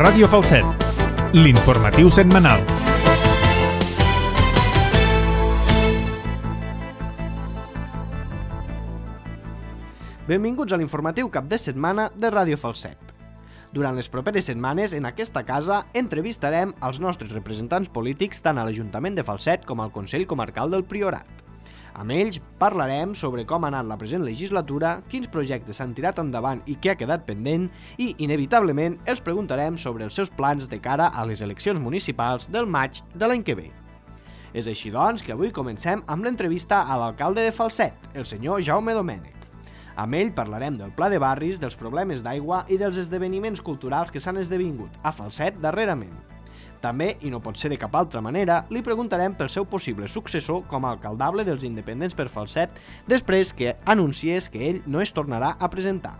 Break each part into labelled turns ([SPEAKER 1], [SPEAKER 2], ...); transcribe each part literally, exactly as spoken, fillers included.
[SPEAKER 1] Ràdio Falset, l'informatiu setmanal.
[SPEAKER 2] Benvinguts a l'informatiu cap de setmana de Ràdio Falset. Durant les properes setmanes, en aquesta casa, entrevistarem els nostres representants polítics tant a l'Ajuntament de Falset com al Consell Comarcal del Priorat. Amb ells parlarem sobre com ha anat la present legislatura, quins projectes s'han tirat endavant i què ha quedat pendent i, inevitablement, els preguntarem sobre els seus plans de cara a les eleccions municipals del maig de l'any que ve. És així, doncs, que avui comencem amb l'entrevista a l'alcalde de Falset, el senyor Jaume Domènech. Amb ell parlarem del pla de barris, dels problemes d'aigua i dels esdeveniments culturals que s'han esdevingut a Falset darrerament. També, i no pot ser de cap altra manera, li preguntarem pel seu possible successor com a alcaldable dels independents per Falset després que anunciés que ell no es tornarà a presentar.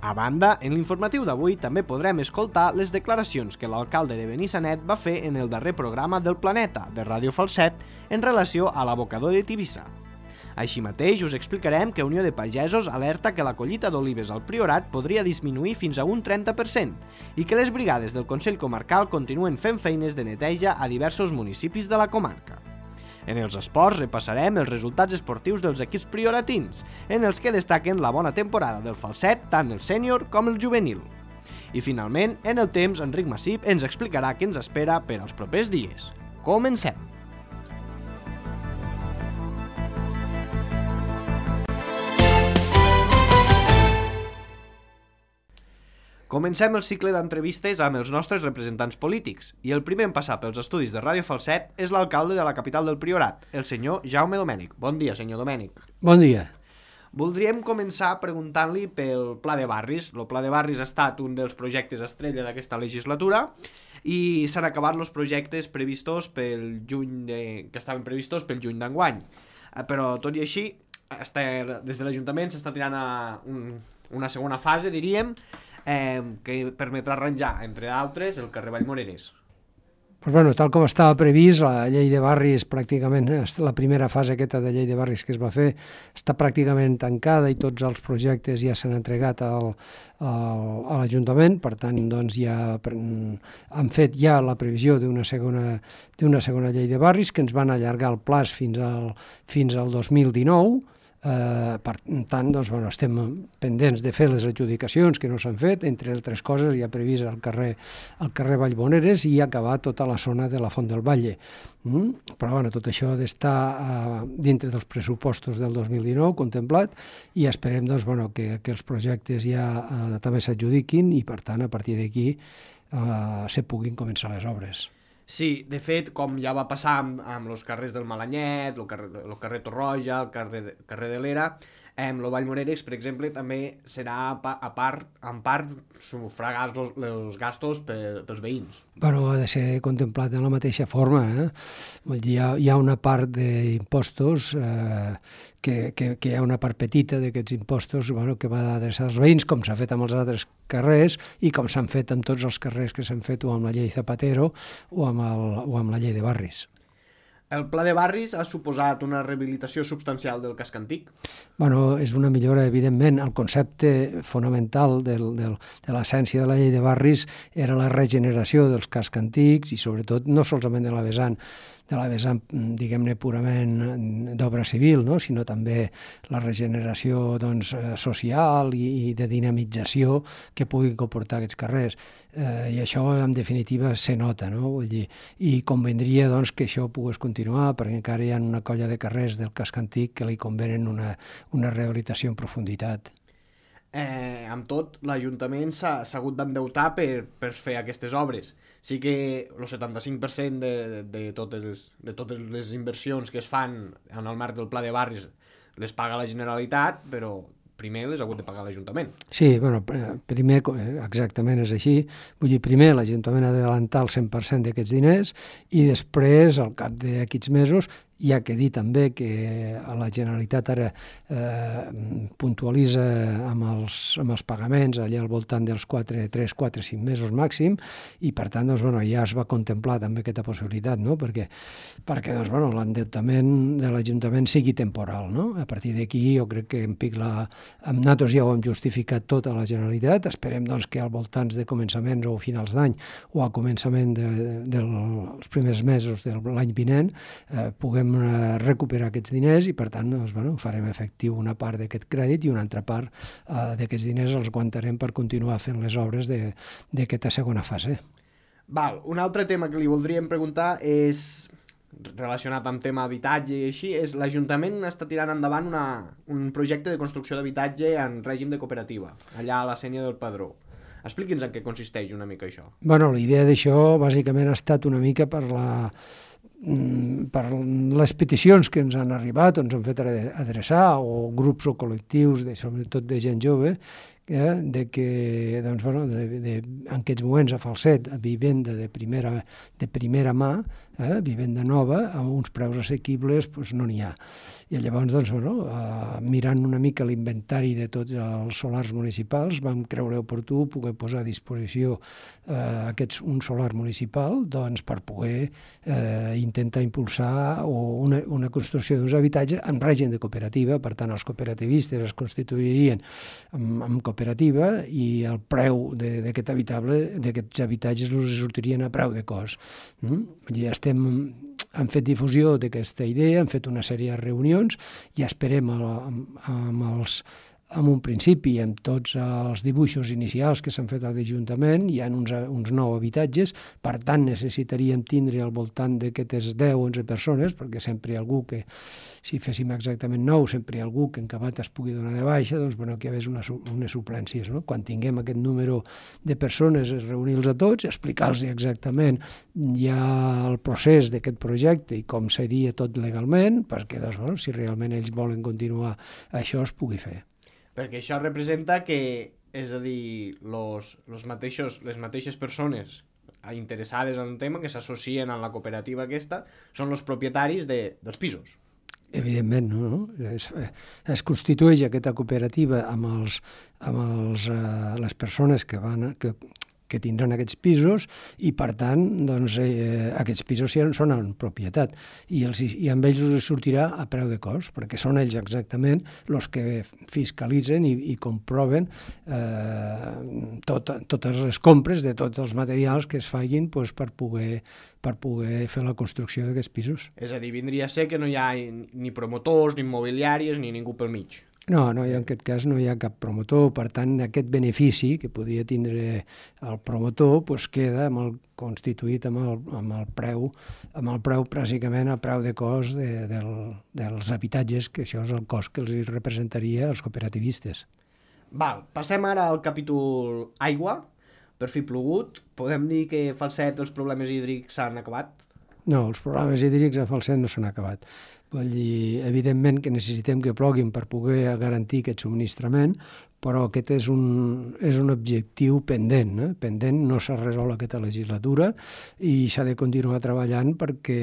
[SPEAKER 2] A banda, en l'informatiu d'avui també podrem escoltar les declaracions que l'alcalde de Benissanet va fer en el darrer programa del Planeta, de Ràdio Falset, en relació a l'abocador de Tivissa. Així mateix, us explicarem que Unió de Pagesos alerta que la collita d'olives al Priorat podria disminuir fins a un trenta per cent i que les brigades del Consell Comarcal continuen fent feines de neteja a diversos municipis de la comarca. En els esports repassarem els resultats esportius dels equips prioratins, en els que destaquen la bona temporada del Falset, tant el sènior com el juvenil. I finalment, en el temps, Enric Massip ens explicarà què ens espera per als propers dies. Comencem! Comencem el cicle d'entrevistes amb els nostres representants polítics i el primer en passar pels estudis de Ràdio Falset és l'alcalde de la capital del Priorat, el senyor Jaume Domènech. Bon dia, senyor Domènech.
[SPEAKER 3] Bon dia.
[SPEAKER 2] Voldríem començar preguntant-li pel Pla de Barris. El Pla de Barris ha estat un dels projectes estrella d'aquesta legislatura i s'han acabat els projectes previstos pel juny de... que estaven previstos pel juny d'enguany. Però tot i així, des de l'Ajuntament s'està tirant a un, una segona fase, diríem, Eh, que permetrà arranjar, entre d'altres, el carrer Vallmoreres.
[SPEAKER 3] Pues bueno, tal com estava previst, la llei de barris pràcticament, la primera fase aquesta de llei de barris que es va fer està pràcticament tancada i tots els projectes ja s'han entregat al, al, a l'Ajuntament, per tant, doncs ja han fet ja la previsió d'una segona, d'una segona llei de barris que ens van allargar el plaç fins al, fins al dos mil dinou. Uh, per tant, doncs, bueno, estem pendents de fer les adjudicacions que no s'han fet, entre altres coses hi ha previst el carrer, el carrer Vallmoreres i acabar tota la zona de la Font del Valle. Mm? Però bueno, tot això ha d'estar uh, dintre dels pressupostos del dos mil dinou contemplat i esperem doncs, bueno, que, que els projectes ja uh, també s'adjudiquin i per tant a partir d'aquí uh, se puguin començar les obres.
[SPEAKER 2] Sí, de fet, com ja va passar amb, amb els carrers del Malanyet, el carrer, el carrer Torroja, el carrer de, carrer de l'Era, amb el Vallmoreres, per exemple, també serà a part, en part sufragar els, els gastos per, pels veïns.
[SPEAKER 3] Bueno, ha de ser contemplat de la mateixa forma. Eh? Vull dir, hi, ha, hi ha una part d'impostos, eh, que, que, que hi ha una part petita d'aquests impostos bueno, que va adreçar als veïns, com s'ha fet amb els altres carrers i com s'han fet amb tots els carrers que s'han fet o amb la llei Zapatero o amb, el, o amb la llei de barris.
[SPEAKER 2] El pla de barris ha suposat una rehabilitació substancial del casc antic?
[SPEAKER 3] Bueno, és una millora, evidentment. El concepte fonamental del, del, de l'essència de la llei de barris era la regeneració dels cascs antics i sobretot no solament de la vessant, de la vessant, diguem-ne, purament d'obra civil, no? Sinó també la regeneració doncs, social i, i de dinamització que puguin comportar aquests carrers. Eh, I això, en definitiva, se nota, no? Vull dir, i convendria doncs, que això pogués continuar, perquè encara hi ha una colla de carrers del casc antic que li convenen una, una rehabilitació en profunditat.
[SPEAKER 2] Eh, amb tot, l'Ajuntament s'ha hagut d'endeutar per, per fer aquestes obres. Sí que el setanta-cinc per cent de, de, de, totes, de totes les inversions que es fan en el marc del Pla de Barris les paga la Generalitat, però primer les ha hagut de pagar l'Ajuntament.
[SPEAKER 3] Sí, bueno, primer, exactament és així. Vull dir, primer l'Ajuntament ha d'adelantar el cent per cent d'aquests diners i després, al cap d'aquests mesos, Hi ha que dir també que la Generalitat ara eh, puntualitza amb els, amb els pagaments allà al voltant dels quatre, tres, quatre, cinc mesos màxim, i per tant doncs, bueno, ja es va contemplar també aquesta possibilitat, no? perquè, perquè doncs, bueno, l'endeutament de l'Ajuntament sigui temporal. No? A partir d'aquí jo crec que en pic la... amb nosaltres ja ho hem justificat tot a la Generalitat, esperem doncs, que al voltants de començaments o finals d'any o a començament de, de, dels primers mesos de l'any vinent eh, puguem eh, recuperar aquests diners i per tant doncs, bueno, farem efectiu una part d'aquest crèdit i una altra part eh, d'aquests diners els aguantarem per continuar fent les obres d'aquesta segona fase.
[SPEAKER 2] Val, un altre tema que li voldríem preguntar és relacionat amb tema habitatge i així, és l'Ajuntament està tirant endavant una, un projecte de construcció d'habitatge en règim de cooperativa, allà a la Sénia del Padró. Expliqui'ns en què consisteix una mica això.
[SPEAKER 3] Bueno, la idea d'això bàsicament ha estat una mica per la per les peticions que ens han arribat, ens han fet adreçar, o grups o col·lectius, de, sobretot de gent jove, eh, de que doncs, bueno, de, de, en aquests moments a Falset, vivenda de primera, de primera mà, eh, vivenda nova, a uns preus assequibles, doncs no n'hi ha. I llavors, doncs, bueno, eh, mirant una mica l'inventari de tots els solars municipals, vam creure oportú poder posar a disposició eh, aquests, un solar municipal doncs, per poder eh, intentar impulsar una, una construcció d'uns habitatges en règim de cooperativa. Per tant, els cooperativistes es constituirien en, en cooperativa i el preu d'aquest habitable, d'aquests habitatges els sortirien a preu de cost. Mm? Ja estem... hem fet difusió d'aquesta idea, hem fet una sèrie de reunions i esperem amb, amb, els, amb un principi, amb tots els dibuixos inicials que s'han fet a l'Ajuntament, hi ha uns, uns nou habitatges, per tant necessitaríem tindre al voltant d'aquestes deu o onze persones, perquè sempre hi ha algú que, si féssim exactament nou, sempre hi ha algú que en acabat es pugui donar de baixa, doncs bueno, que hi hagués una, unes suplències. No? Quan tinguem aquest número de persones, reunir-los a tots, explicar-los exactament ja el procés d'aquest projecte i com seria tot legalment, perquè doncs, bueno, si realment ells volen continuar això es pugui fer.
[SPEAKER 2] Perquè això representa que, és a dir, los, los mateixos, les mateixes persones interessades en un tema que s'associen a la cooperativa aquesta són els propietaris de, dels pisos.
[SPEAKER 3] Evidentment, no? no? Es, es constitueix aquesta cooperativa amb, els, amb els, eh, les persones que van... Que, que tindran aquests pisos i, per tant, doncs, eh, aquests pisos són en propietat i, els, i amb ells us sortirà a preu de cost, perquè són ells exactament els que fiscalitzen i, i comproven eh, tot, totes les compres de tots els materials que es facin doncs, per, poder, per poder fer la construcció d'aquests pisos.
[SPEAKER 2] És a dir, vindria a ser que no hi ha ni promotors, ni immobiliàries, ni ningú pel mig.
[SPEAKER 3] No, no, en aquest cas no hi ha cap promotor, per tant, aquest benefici que podia tindre el promotor doncs queda amb el, constituït amb el, amb el preu, amb el preu pràcticament a preu de cost de, del, dels habitatges, que això és el cost que els representaria als cooperativistes.
[SPEAKER 2] Val, passem ara al capítol aigua. Per fi plogut, podem dir que a Falset els problemes hídrics s'han acabat?
[SPEAKER 3] No, els problemes hídrics a Falset no s'han acabat. Vull dir, evidentment que necessitem que ploguin per poder garantir aquest subministrament, però aquest és un, és un objectiu pendent. Eh? Pendent, no s'ha resolt aquesta legislatura i s'ha de continuar treballant perquè,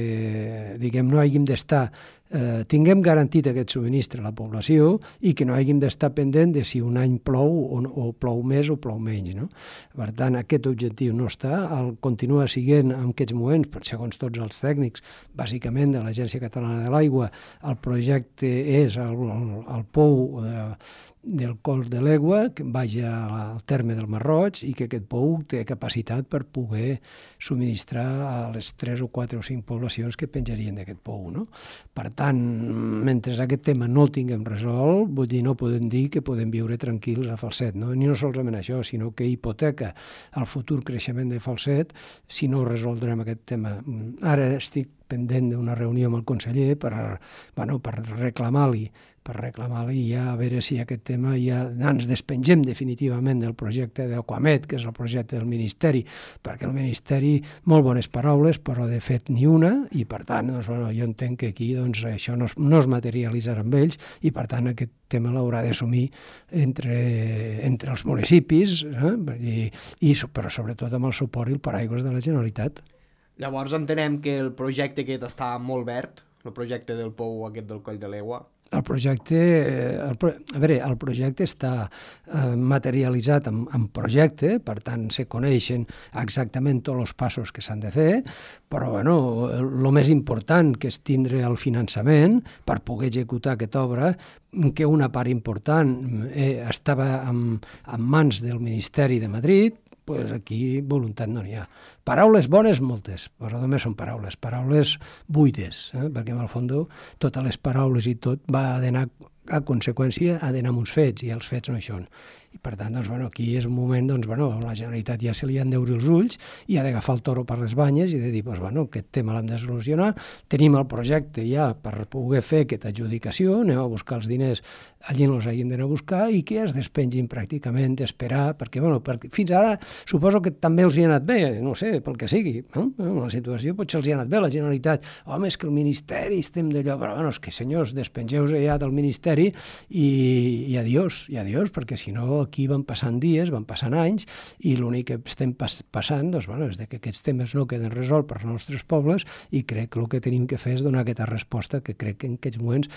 [SPEAKER 3] diguem, no hàgim d'estar, eh, tinguem garantit aquest subministre a la població i que no hàgim d'estar pendent de si un any plou o, o plou més o plou menys. No? Per tant, aquest objectiu no està, el continua siguent en aquests moments, per segons tots els tècnics, bàsicament de l'Agència Catalana de l'Aigua, el projecte és el, el, el pou de, del cos de l'Egua, que vagi al terme del Mar Roig i que aquest pou té capacitat per poder subministrar a les tres o quatre o cinc poblacions que penjarien d'aquest pou. No? Per tant, mentre aquest tema no el tinguem resolt, vull dir, no podem dir que podem viure tranquils a Falset. No? Ni no solament això, sinó que hipoteca el futur creixement de Falset si no resoldrem aquest tema. Ara estic pendent d'una reunió amb el conseller per, bueno, per reclamar-li per reclamar-li ja a veure si aquest tema ja ens despengem definitivament del projecte d'Aquamet, que és el projecte del Ministeri, perquè el Ministeri, molt bones paraules, però de fet ni una, i per tant doncs, bueno, jo entenc que aquí doncs, això no es, no es materialitzarà amb ells i per tant aquest tema l'haurà d'assumir entre, entre els municipis, eh? I, i, però sobretot amb el suport i el paraigües de la Generalitat.
[SPEAKER 2] Llavors entenem que el projecte aquest està molt verd, el projecte del pou aquest del Coll de l'Egua?
[SPEAKER 3] El projecte, el, a veure, el projecte està eh, materialitzat en, en projecte, per tant, se coneixen exactament tots els passos que s'han de fer, però, bueno, el més important que és tindre el finançament per poder executar aquesta obra, que una part important eh, estava en, en mans del Ministeri de Madrid, pues aquí voluntat no n'hi ha. Paraules bones, moltes, però només són paraules, paraules buides, eh? perquè en el fons totes les paraules i tot va d'anar a conseqüència, ha d'anar amb uns fets, i els fets no hi són. I per tant, doncs, bueno, aquí és un moment doncs, bueno, on la Generalitat ja se li han d'obrir els ulls i ha d'agafar el toro per les banyes i de dir, doncs, bueno, aquest tema l'hem de solucionar, tenim el projecte ja per poder fer aquesta adjudicació, anem a buscar els diners allí no els hàgim d'anar a buscar i que es despengin pràcticament d'esperar, perquè, bueno, perquè fins ara suposo que també els hi ha anat bé, no sé, pel que sigui, no? La situació potser els hi ha anat bé, la Generalitat, home, és que el Ministeri estem d'allò, però, bueno, és que, senyors, despengeu-se ja del Ministeri i, i adiós, i adiós, perquè si no aquí van passant dies, van passant anys, i l'únic que estem pas, passant doncs, bueno, és que aquests temes no queden resolts per als nostres pobles i crec que el que tenim que fer és donar aquesta resposta que crec que en aquests moments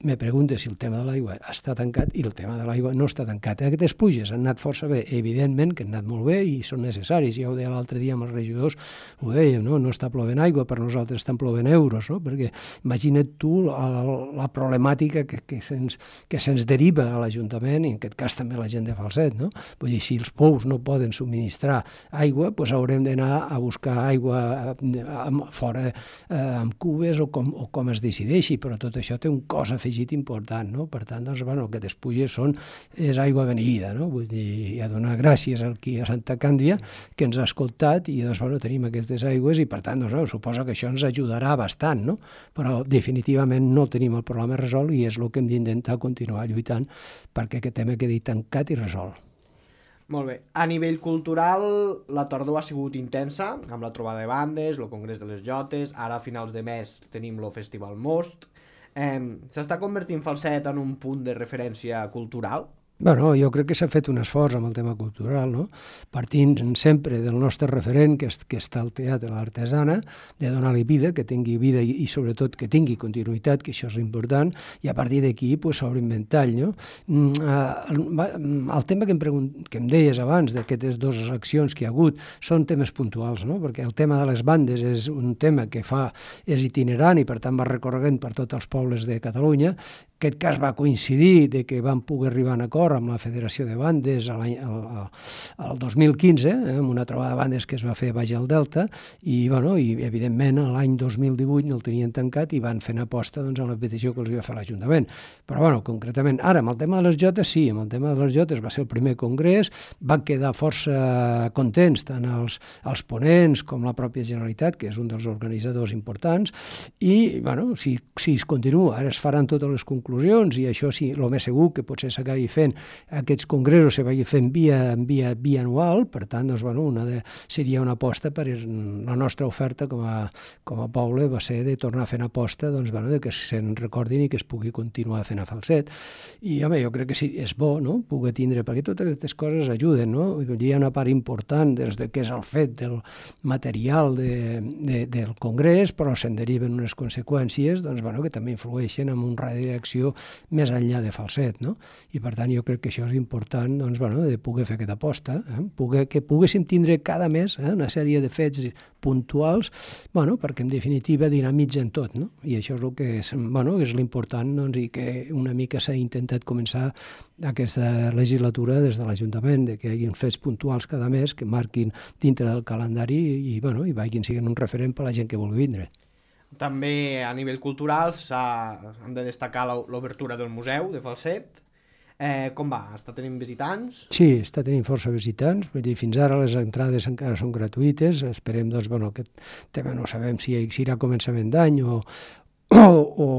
[SPEAKER 3] me pregunta si el tema de l'aigua està tancat i el tema de l'aigua no està tancat. Aquestes pluges han anat força bé, evidentment que han anat molt bé i són necessaris. Ja ho deia l'altre dia amb els regidors, ho dèiem, no? No està plovent aigua, per nosaltres estan plovent euros, no? Perquè imagina't tu la, la problemàtica que, que se'ns que se'ns deriva a l'Ajuntament, i en aquest cas també la gent de Falset, no? Vull dir, si els pous no poden subministrar aigua, doncs haurem d'anar a buscar aigua fora eh, amb cubes o com, o com es decideixi, però tot això té un cost afegit important, no? Per tant, doncs, bueno, que aquestes pluges són, és aigua beneïda, no? Vull dir, a donar gràcies aquí a Santa Càndia, que ens ha escoltat, i doncs, bueno, tenim aquestes aigües, i per tant, doncs, no, suposo que això ens ajudarà bastant, no? Però definitivament no tenim el problema resolt i és el que hem d'intentar continuar lluitant perquè aquest tema quedi tancat i resolt.
[SPEAKER 2] Molt bé. A nivell cultural, la tardor ha sigut intensa, amb la trobada de bandes, el Congrés de les Jotes, ara a finals de mes tenim el Festival Most. Eh, S'està convertint Falset en un punt de referència cultural?
[SPEAKER 3] Bueno, jo crec que s'ha fet un esforç amb el tema cultural, no? Partint sempre del nostre referent, que, és, que està al Teatre l'Artesana, de donar-li vida, que tingui vida i, i sobretot que tingui continuïtat, que això és important, i a partir d'aquí pues, s'obre un ventall, no? El, el tema que em, pregunt, que em deies abans d'aquestes dues accions que hi ha hagut són temes puntuals, no? Perquè el tema de les bandes és un tema que fa, és itinerant i per tant va recorregent per tots els pobles de Catalunya. Aquest cas va coincidir de que vam poder arribar a un acord amb la Federació de Bandes el dos mil quinze, eh, amb una trobada de bandes que es va fer baix al Delta, i, bueno, i evidentment l'any dos mil divuit no el tenien tancat i van fer una aposta doncs, a la petició que els va fer l'Ajuntament. Però, bueno, concretament, ara, amb el tema de les jotes, sí, amb el tema de les jotes va ser el primer congrés, van quedar força contents tant els, els ponents com la pròpia Generalitat, que és un dels organitzadors importants, i, bueno, si, si es continua, ara es faran totes les conclusions, i això sí, el més segur que potser s'acabi fent aquests congressos se vagi fent via, via, via anual, per tant, doncs, bueno, una de, seria una aposta per la nostra oferta com a, com a poble va ser de tornar a fer una aposta doncs, bueno, de que se'n recordin i que es pugui continuar fent a Falset. I, home, jo crec que sí, és bo, no?, poder tindre, perquè totes aquestes coses ajuden, no? Hi ha una part important des de què és el fet del material de, de, del congrés, però se'n deriven unes conseqüències doncs, bueno, que també influeixen en un radi d'acció més enllà de Falset, no? I per tant jo crec que això és important doncs, bueno, de poder fer aquesta aposta, eh? poder, que poguéssim tindre cada mes eh? una sèrie de fets puntuals, bueno, perquè en definitiva dinamitzen tot, no? I això és el que és, bueno, és l'important doncs, i que una mica s'ha intentat començar aquesta legislatura des de l'Ajuntament, de que hi hagi fets puntuals cada mes que marquin dintre del calendari i, i, bueno, i vagin sent un referent per a la gent que vulgui vindre.
[SPEAKER 2] També a nivell cultural hem de destacar l'obertura del museu de Falset. Eh, com va? Està tenint visitants?
[SPEAKER 3] Sí, està tenint força visitants. Vull dir, fins ara les entrades encara són gratuïtes. Esperem, doncs, bueno, aquest tema no sabem si serà començament d'any o, o, o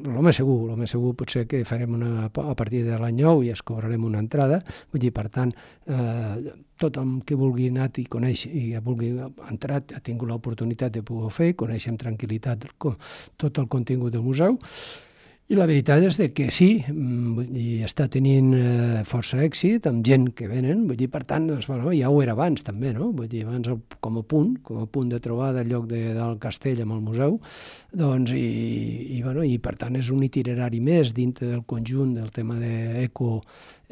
[SPEAKER 3] el més segur, el més segur pot ser que farem una, a partir de l'any nou i es cobrarem una entrada. Vull dir, per tant, eh, tothom que vulgui anar i conèixer i vulgui entrar ha tingut l'oportunitat de poder fer, conèixer amb tranquil·litat tot el contingut del museu. I la veritat és que sí, vull dir, està tenint eh, força èxit amb gent que venen, vull dir, per tant, doncs, bueno, ja ho era abans també, no? Vull dir, abans el, com a punt, com a punt de trobada al lloc de, del castell amb el museu, doncs, i, i, bueno, i per tant és un itinerari més dintre del conjunt del tema d'eco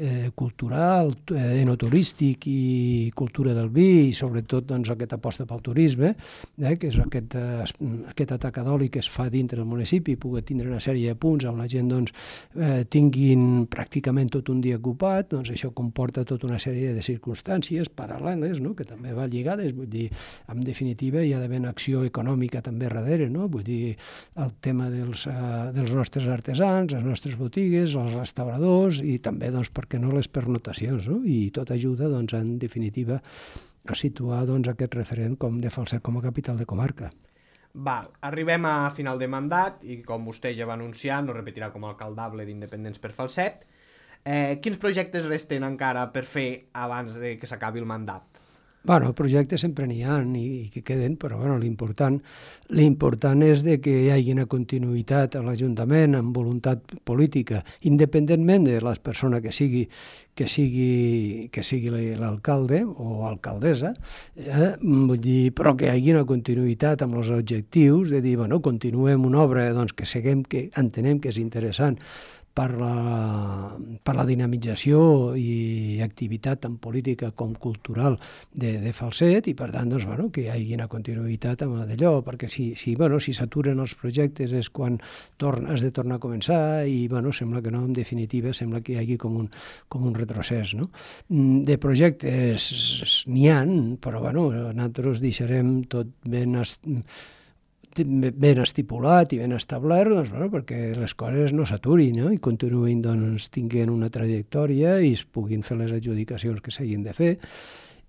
[SPEAKER 3] eh, cultural, eh, enoturístic i cultura del vi, i sobretot doncs, aquesta aposta pel turisme, eh, que és aquest, eh, aquest atacadoli que es fa dintre del municipi, pugui tindre una sèrie de punts on la gent doncs, eh, tinguin pràcticament tot un dia ocupat, doncs això comporta tota una sèrie de circumstàncies paral·leles, no?, que també va lligades, vull dir, en definitiva hi ha d'haver una acció econòmica també darrere, no?, vull dir, el tema dels, eh, dels nostres artesans, les nostres botigues, els restauradors i també, doncs, per què no, les pernotacions, no?, i tot ajuda, doncs, en definitiva, a situar doncs, aquest referent com de Falset com a capital de comarca.
[SPEAKER 2] Val, arribem a final de mandat i com vostè ja va anunciar, no repetirà com a alcaldable d'Independents per Falset. Eh, quins projectes resten encara per fer abans de que s'acabi el mandat?
[SPEAKER 3] Bueno, projectes sempre n'hi ha i, i que queden, però bueno, l'important l'important és de que hi hagi una continuïtat a l'Ajuntament amb voluntat política, independentment de la persona que sigui que sigui, que sigui l'alcalde o alcaldessa, eh? Vull dir, però que hi hagi una continuïtat amb els objectius de dir, bueno, continuem una obra doncs, que seguem, que entenem que és interessant per la, per la dinamització i activitat tant política com cultural de, de Falset i per tant doncs, bueno, que hi hagi una continuïtat amb d'allò, perquè si, si, bueno, si s'aturen els projectes és quan torn, has de tornar a començar i bueno, sembla que no, en definitiva sembla que hi hagi com un, com un retrocés. No? De projectes n'hi ha, però bueno, nosaltres deixarem tot ben ben estipulat i ben establert, doncs, bueno, perquè les coses no s'aturin, no? I continuïn doncs, tinguent una trajectòria i es puguin fer les adjudicacions que s'hagin de fer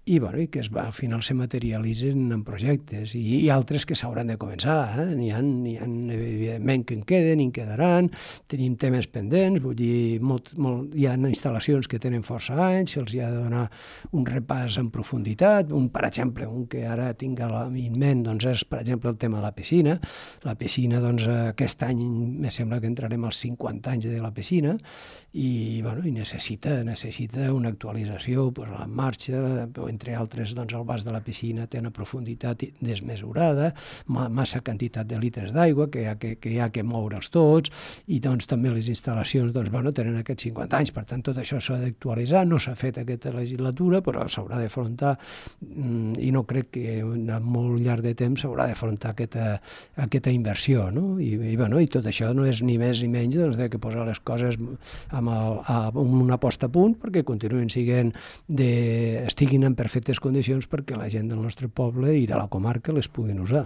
[SPEAKER 3] i, bueno, i que es va, al final se materialitzen en projectes i, i altres que s'hauran de començar. Eh? N'hi ha, n'hi ha, evidentment, que en queden i en quedaran, tenim temes pendents, vull dir, molt, molt, hi ha instal·lacions que tenen força anys, se'ls ha de donar un repàs en profunditat, un, per exemple, un que ara tinc a la ment, doncs és, per exemple, el tema de la piscina. La piscina, doncs, aquest any me sembla que entrarem als cinquanta anys de la piscina i, bueno, i necessita, necessita una actualització, pues, la marxa, entre altres, doncs, el vas de la piscina té una profunditat desmesurada, massa quantitat de litres d'aigua que hi ha que, que, hi ha que moure'ls tots, i doncs també les instal·lacions doncs, bueno, tenen aquests cinquanta anys, per tant tot això s'ha d'actualitzar, no s'ha fet aquesta legislatura, però s'haurà d'afrontar, i no crec que a molt llarg de temps s'haurà d'afrontar aquesta, aquesta inversió, no? I, i, bueno, i tot això no és ni més ni menys doncs, de que posar les coses amb, el, amb una posta a punt perquè continuïn siguent de, estiguin en perfectes condicions perquè la gent del nostre poble i de la comarca les puguin usar.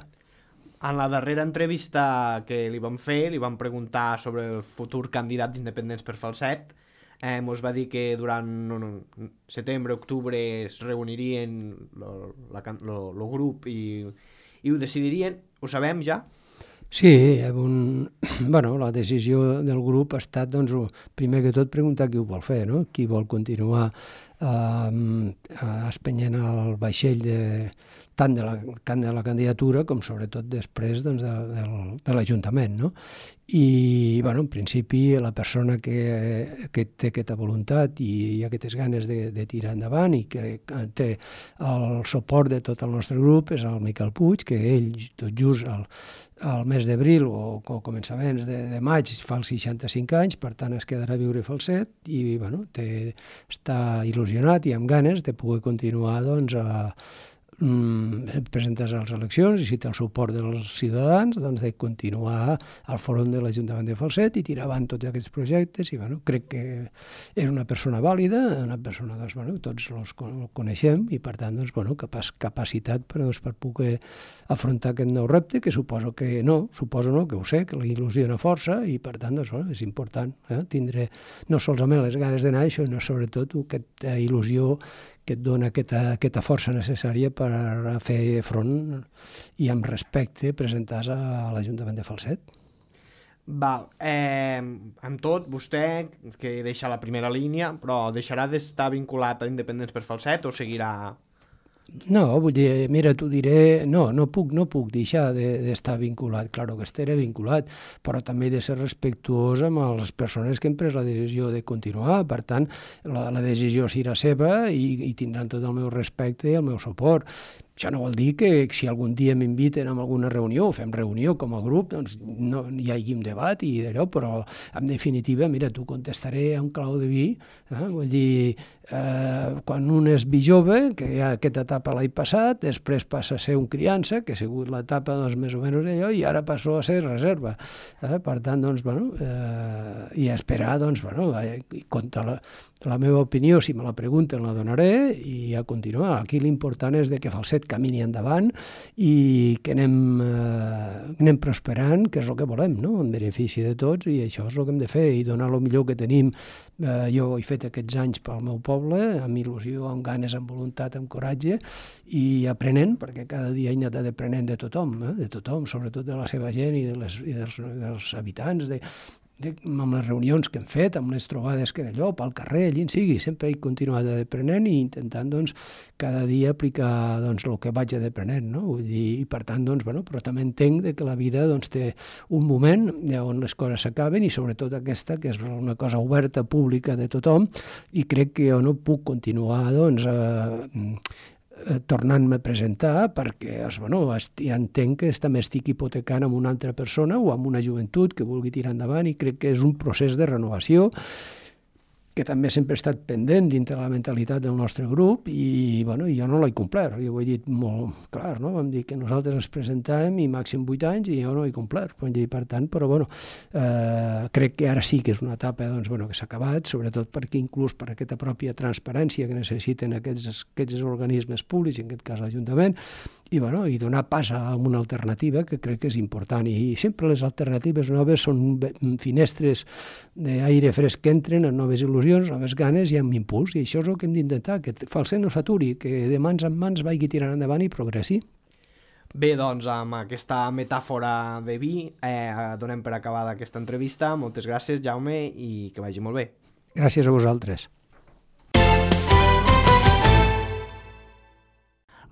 [SPEAKER 2] En la darrera entrevista que li vam fer, li vam preguntar sobre el futur candidat d'Independents per Falset. Eh, mos va dir que durant no, no, setembre, octubre es reunirien el grup i, i ho decidirien. Ho sabem ja?
[SPEAKER 3] Sí, un, bueno, la decisió del grup ha estat, doncs, primer que tot, preguntar qui ho vol fer, no? Qui vol continuar eh, espenyent el vaixell de, tant de la, de la candidatura com sobretot després doncs, de, de, de l'Ajuntament, no? I, bueno, en principi, la persona que, que té aquesta voluntat i aquestes ganes de, de tirar endavant i que té el suport de tot el nostre grup és el Miquel Puig, que ell, tot just el, al mes d'abril o, o començaments de, de maig fa els seixanta-cinc anys, per tant es quedarà a viure a Falset i bueno, té, està il·lusionat i amb ganes de poder continuar doncs, a mm, presentar-se a les eleccions i si té el suport dels ciutadans doncs, de continuar al fòrum de l'Ajuntament de Falset i tirar avant tots aquests projectes i bueno, crec que és una persona vàlida, una persona doncs, bueno, tots els coneixem i per tant doncs, bueno, capaç, capacitat per, doncs, per poder afrontar aquest nou repte que suposo que no, suposo no, que ho sé, que la il·lusiona força i per tant doncs, bueno, és important eh, tindre no solament les ganes d'anar, això, sinó sobretot aquesta il·lusió que et dona aquesta, aquesta força necessària per fer front i amb respecte presentar-se a l'Ajuntament de Falset.
[SPEAKER 2] Val, eh, amb tot, vostè, que deixa la primera línia, però deixarà d'estar vinculat a Independents per Falset o seguirà?
[SPEAKER 3] No, vull dir, mira, t'ho diré, no, no puc, no puc deixar d'estar de, vinculat, clar que estaré vinculat, però també he de ser respectuós amb les persones que han pres la decisió de continuar, per tant, la, la decisió serà seva i, i tindran tot el meu respecte i el meu suport. Això no vol dir que si algun dia m'inviten a alguna reunió, fem reunió com a grup, doncs no hi hagi un debat i d'allò, però en definitiva, mira, t'ho contestaré en clau de vi, eh? Vull dir, eh, quan un és vi jove, que hi ha aquesta etapa l'any passat, després passa a ser un criança, que ha sigut l'etapa doncs, més o menys d'allò, i ara passó a ser reserva. Eh? Per tant, doncs, bueno, eh, i a esperar, doncs, bueno, eh, contra la, la meva opinió, si me la pregunten, la donaré i a continuar. Aquí l'important és de que Falset camini endavant i que anem, eh, anem prosperant, que és el que volem, no? En benefici de tots, i això és el que hem de fer, i donar el millor que tenim. Eh, jo he fet aquests anys pel meu poble, amb il·lusió, amb ganes, amb voluntat, amb coratge, i aprenent, perquè cada dia he anat aprenent de tothom, eh? De tothom, sobretot de la seva gent i, de les, i dels, dels habitants, de, de, amb les reunions que hem fet, amb les trobades que d'allò, pel carrer, allí en sigui, sempre he continuat aprenent i intentant, doncs, cada dia aplicar, doncs, el que vaig aprenent, no? Vull dir, i per tant, doncs, bueno, però també entenc que la vida, doncs, té un moment on les coses s'acaben i sobretot aquesta, que és una cosa oberta, pública de tothom, i crec que jo no puc continuar, doncs, eh, tornant-me a presentar perquè bueno, ja entenc que també estic hipotecant amb una altra persona o amb una joventut que vulgui tirar endavant i crec que és un procés de renovació que també sempre ha estat pendent dintre la mentalitat del nostre grup i bueno, jo no l'he complert, jo ho he dit molt clar, no? Vam dir que nosaltres ens presentàvem i màxim vuit anys i jo no he complert, per tant, però bueno, eh, crec que ara sí que és una etapa doncs, bueno, que s'ha acabat, sobretot perquè inclús per aquesta pròpia transparència que necessiten aquests, aquests organismes públics, en aquest cas l'Ajuntament, i, bueno, i donar pas a una alternativa que crec que és important i sempre les alternatives noves són finestres d'aire fresc que entren en noves il·lusions, noves ganes i amb impuls, i això és el que hem d'intentar, que Falset no s'aturi, que de mans en mans vagi tirant endavant i progressi.
[SPEAKER 2] Bé, doncs, amb aquesta metàfora de vi eh, donem per acabada aquesta entrevista. Moltes gràcies, Jaume, i que vagi molt bé.
[SPEAKER 3] Gràcies a vosaltres.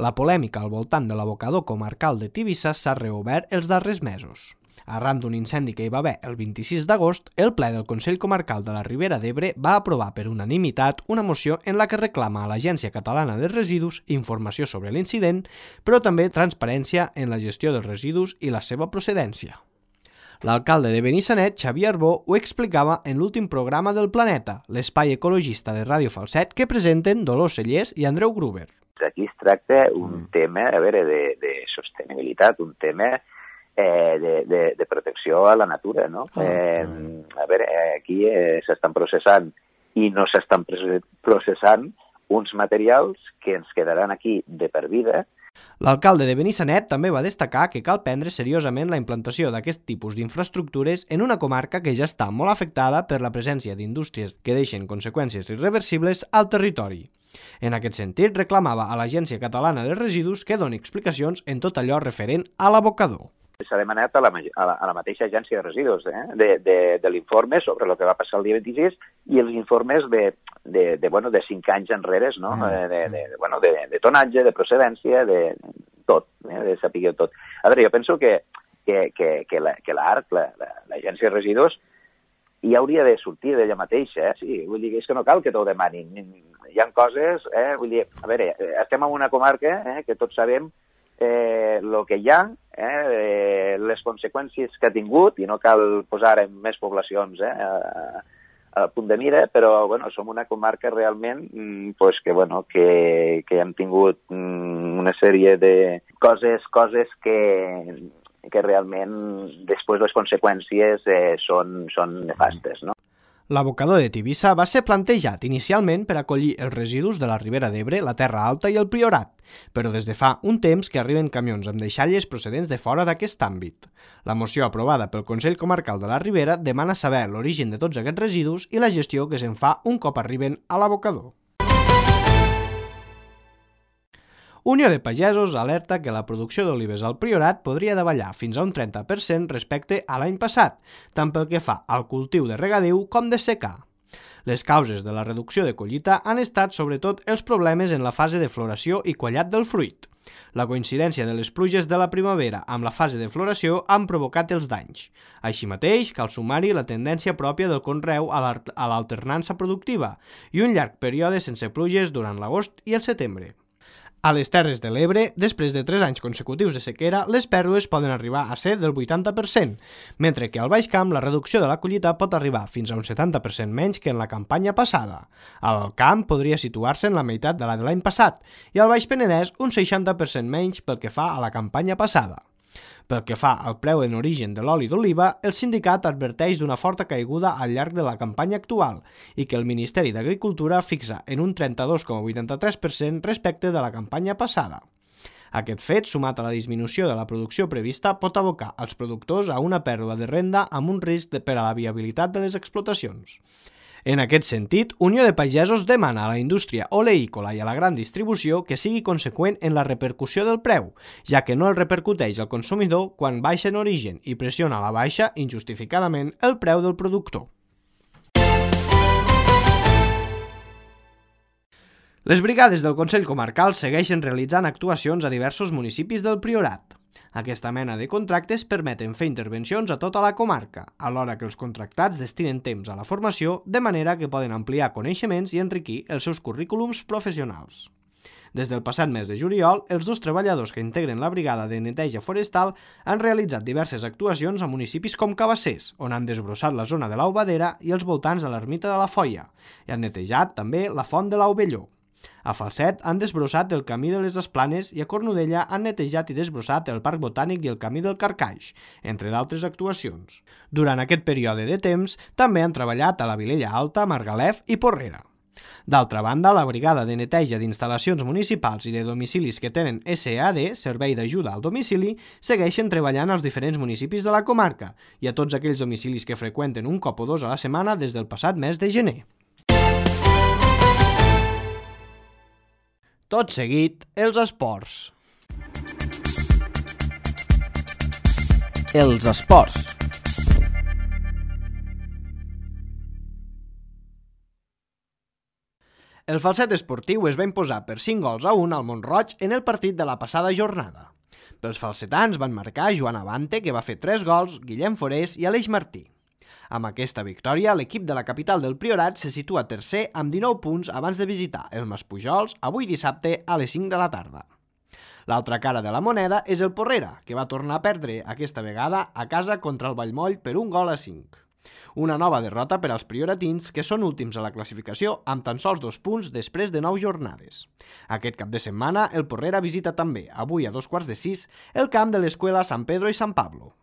[SPEAKER 2] La polèmica al voltant de l'abocador comarcal de Tivissa s'ha reobert els darrers mesos. Arran d'un incendi que hi va haver el vint-i-sis d'agost, el ple del Consell Comarcal de la Ribera d'Ebre va aprovar per unanimitat una moció en la que reclama a l'Agència Catalana de Residus informació sobre l'incident, però també transparència en la gestió dels residus i la seva procedència. L'alcalde de Benissanet, Xavier Arbó, ho explicava en l'últim programa del Planeta, l'espai ecologista de Ràdio Falset, que presenten Dolors Cellers i Andreu Gruber.
[SPEAKER 4] Aquí es tracta un tema, a veure, de, de sostenibilitat, un tema eh, de, de, de protecció a la natura, no? Eh, a veure, aquí eh, s'estan processant i no s'estan processant uns materials que ens quedaran aquí de per vida.
[SPEAKER 2] L'alcalde de Benissanet també va destacar que cal prendre seriosament la implantació d'aquest tipus d'infraestructures en una comarca que ja està molt afectada per la presència d'indústries que deixen conseqüències irreversibles al territori. En aquest sentit, reclamava a l'Agència Catalana de Residus que doni explicacions en tot allò referent a l'abocador.
[SPEAKER 4] S'ha demanat a la, a, la, a la mateixa Agència de Residus eh? de, de, de l'informe sobre el que va passar el dia vint-i-sis i els informes de, de, de, bueno, de cinc anys enrere, no? de, de, de, bueno, de, de tonatge, de procedència, de tot, eh? de saber tot. A veure, jo penso que, que, que, que l'ARC, la, l'Agència de Residus, i hauria de sortir d'ella mateixa, eh? Sí, vull dir, és que no cal que t'ho demanin. Hi ha coses, eh? Vull dir, a veure, estem en una comarca eh? que tots sabem eh, el que hi ha, eh? les conseqüències que ha tingut, i no cal posar en més poblacions eh? a, a punt de mira, però bueno, som una comarca realment pues, que, bueno, que, que hem tingut una sèrie de coses, coses que... que realment després les conseqüències eh, són, són nefastes, no?
[SPEAKER 2] L'abocador de Tivissa va ser plantejat inicialment per acollir els residus de la Ribera d'Ebre, la Terra Alta i el Priorat, però des de fa un temps que arriben camions amb deixalles procedents de fora d'aquest àmbit. La moció aprovada pel Consell Comarcal de la Ribera demana saber l'origen de tots aquests residus i la gestió que se'n fa un cop arriben a l'abocador. Unió de Pagesos alerta que la producció d'olives al Priorat podria davallar fins a un trenta per cent respecte a l'any passat, tant pel que fa al cultiu de regadiu com de secà. Les causes de la reducció de collita han estat sobretot els problemes en la fase de floració i quallat del fruit. La coincidència de les pluges de la primavera amb la fase de floració han provocat els danys. Així mateix, cal sumar-hi la tendència pròpia del conreu a l'alternança productiva i un llarg període sense pluges durant l'agost i el setembre. A les Terres de l'Ebre, després de tres anys consecutius de sequera, les pèrdues poden arribar a ser del vuitanta per cent, mentre que al Baix Camp la reducció de la collita pot arribar fins a un setanta per cent menys que en la campanya passada. Al Camp podria situar-se en la meitat de la de l'any passat i al Baix Penedès un seixanta per cent menys pel que fa a la campanya passada. Pel que fa al preu en origen de l'oli d'oliva, el sindicat adverteix d'una forta caiguda al llarg de la campanya actual i que el Ministeri d'Agricultura fixa en un trenta-dos coma vuitanta-tres per cent respecte de la campanya passada. Aquest fet, sumat a la disminució de la producció prevista, pot abocar els productors a una pèrdua de renda amb un risc per a la viabilitat de les explotacions. En aquest sentit, Unió de Pagesos demana a la indústria oleícola i a la gran distribució que sigui conseqüent en la repercussió del preu, ja que no el repercuteix al consumidor quan baixa en origen i pressiona a la baixa, injustificadament, el preu del productor. Les brigades del Consell Comarcal segueixen realitzant actuacions a diversos municipis del Priorat. Aquesta mena de contractes permeten fer intervencions a tota la comarca, alhora que els contractats destinen temps a la formació, de manera que poden ampliar coneixements i enriquir els seus currículums professionals. Des del passat mes de juliol, els dos treballadors que integren la brigada de neteja forestal han realitzat diverses actuacions a municipis com Cabassers, on han desbrossat la zona de l'Aubadera i els voltants de l'ermita de la Foia, i han netejat també la font de l'Aubelló. A Falset han desbrossat el camí de les Esplanes i a Cornudella han netejat i desbrossat el Parc Botànic i el camí del Carcaix, entre d'altres actuacions. Durant aquest període de temps, també han treballat a la Vilella Alta, Margalef i Porrera. D'altra banda, la Brigada de Neteja d'Instal·lacions Municipals i de Domicilis que tenen S A D, Servei d'Ajuda al Domicili, segueixen treballant als diferents municipis de la comarca i a tots aquells domicilis que freqüenten un cop o dos a la setmana des del passat mes de gener. Tot seguit, els esports.
[SPEAKER 5] Els esports.
[SPEAKER 2] El Falset esportiu es va imposar per cinc gols a un al Mont-roig en el partit de la passada jornada. Pels falsetans van marcar Joan Abante, que va fer tres gols, Guillem Forés i Aleix Martí. Amb aquesta victòria, l'equip de la capital del Priorat se situa tercer amb dinou punts abans de visitar el Maspujols avui dissabte a les cinc de la tarda. L'altra cara de la moneda és el Porrera, que va tornar a perdre aquesta vegada a casa contra el Vallmoll per un gol a cinc. Una nova derrota per als prioratins, que són últims a la classificació amb tan sols dos punts després de nou jornades. Aquest cap de setmana, el Porrera visita també, avui a dos quarts de sis, el camp de l'Escuela San Pedro i San Pablo.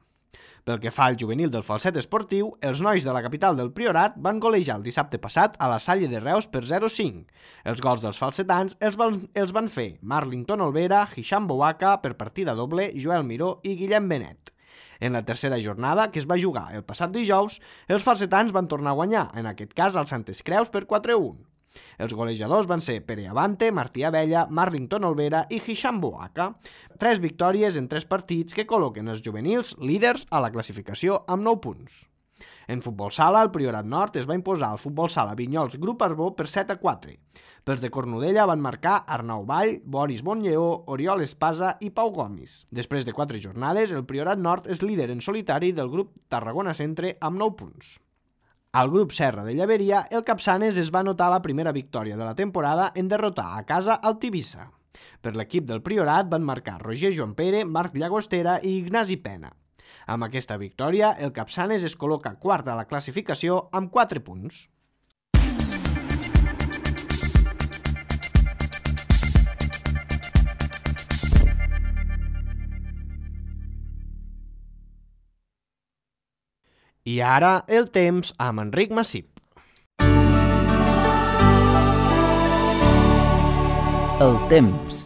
[SPEAKER 2] Pel que fa al juvenil del Falset esportiu, els nois de la capital del Priorat van golejar el dissabte passat a la Salle de Reus per zero a cinc. Els gols dels falsetans els van, els van fer Marlington Olvera, Hisham Bouaka per partida doble, Joel Miró i Guillem Benet. En la tercera jornada, que es va jugar el passat dijous, els falsetans van tornar a guanyar, en aquest cas als Santes Creus per quatre a un. Els golejadors van ser Pere Abante, Martí Abella, Marlington Olvera i Hisham Bouaka. Tres victòries en tres partits que col·loquen els juvenils líders a la classificació amb nou punts. En futbol sala, el Priorat Nord es va imposar al futbol sala Vinyols Grup Arbó per set a quatre. Pels de Cornudella van marcar Arnau Vall, Boris Bonlleó, Oriol Espasa i Pau Gomis. Després de quatre jornades, el Priorat Nord és líder en solitari del grup Tarragona Centre amb nou punts. Al grup Serra de Llaveria, el Capçanes es va anotar la primera victòria de la temporada en derrotar a casa el Tivissa. Per l'equip del Priorat van marcar Roger Joan Pere, Marc Llagostera i Ignasi Pena. Amb aquesta victòria, el Capçanes es col·loca quart a la classificació amb quatre punts. I ara, el temps amb Enric Massip.
[SPEAKER 5] El temps.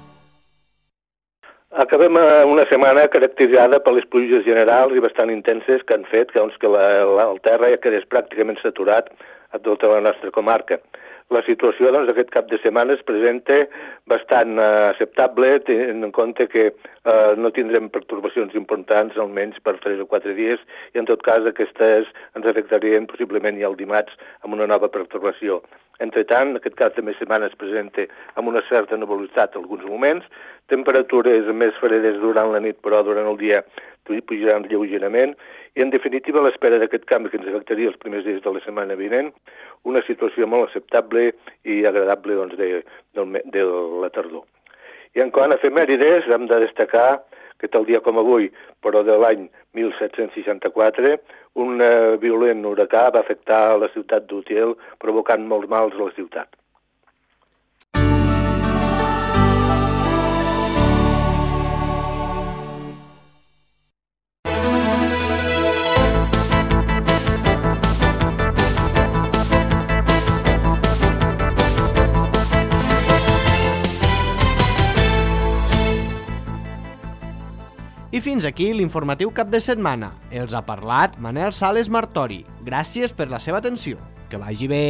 [SPEAKER 6] Acabem una setmana caracteritzada per les pluges generals i bastant intenses que han fet que, doncs, que la, la, el terra ja quedés pràcticament saturat a tota la nostra comarca. la situació doncs, d'aquest cap de setmana es presenta bastant eh, acceptable, tenint en compte que eh, no tindrem pertorbacions importants, almenys per tres o quatre dies, i en tot cas aquestes ens afectarien possiblement ja el dimarts amb una nova pertorbació. Entretant, aquest cap de setmana es presenta amb una certa nebulositat en alguns moments, temperatures més fredes durant la nit, però durant el dia pujaran lleugerament, i en definitiva a l'espera d'aquest canvi que ens afectaria els primers dies de la setmana vinent, una situació molt acceptable i agradable doncs, de, de, de la tardor. I en quant a efemèrides, hem de destacar que tal dia com avui, però de l'any mil set-cents seixanta-quatre, un eh, violent huracà va afectar la ciutat d'Utiel, provocant molts mals a la ciutat.
[SPEAKER 2] I fins aquí l'informatiu cap de setmana. Els ha parlat Manel Sales Martori. Gràcies per la seva atenció. Que vagi bé.